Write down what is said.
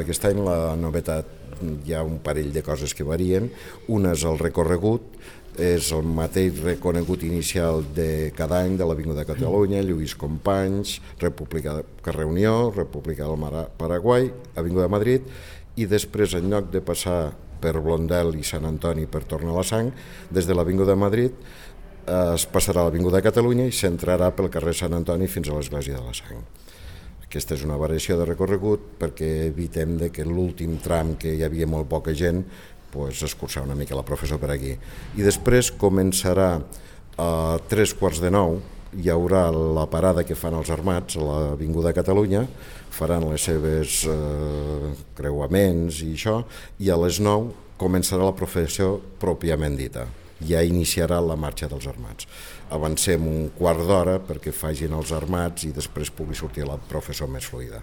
Aquest any la novetat, hi ha un parell de coses que varien. Una és el recorregut, és el mateix recorregut inicial de cada any de l'Avinguda de Catalunya, Lluís Companys, Carrer Unió, República del Paraguai, Avinguda de Madrid, i després, en lloc de passar per Blondel i Sant Antoni per tornar a la Sang, des de l'Avinguda de Madrid es passarà a l'Avinguda de Catalunya i s'entrarà pel carrer Sant Antoni fins a l'Església de la Sang. Aquesta és una variació de recorregut perquè evitem que l'últim tram, que hi havia molt poca gent, escurçar una mica la professor per aquí. I després començarà a 3:15, hi haurà la parada que fan els armats a l'Avinguda de Catalunya, faran les seves creuaments i això, i a les 9 començarà la processió pròpiament dita. Ja iniciarà la marxa dels armats. Avancem un quart d'hora perquè facin els armats i després pugui sortir la processó més fluida.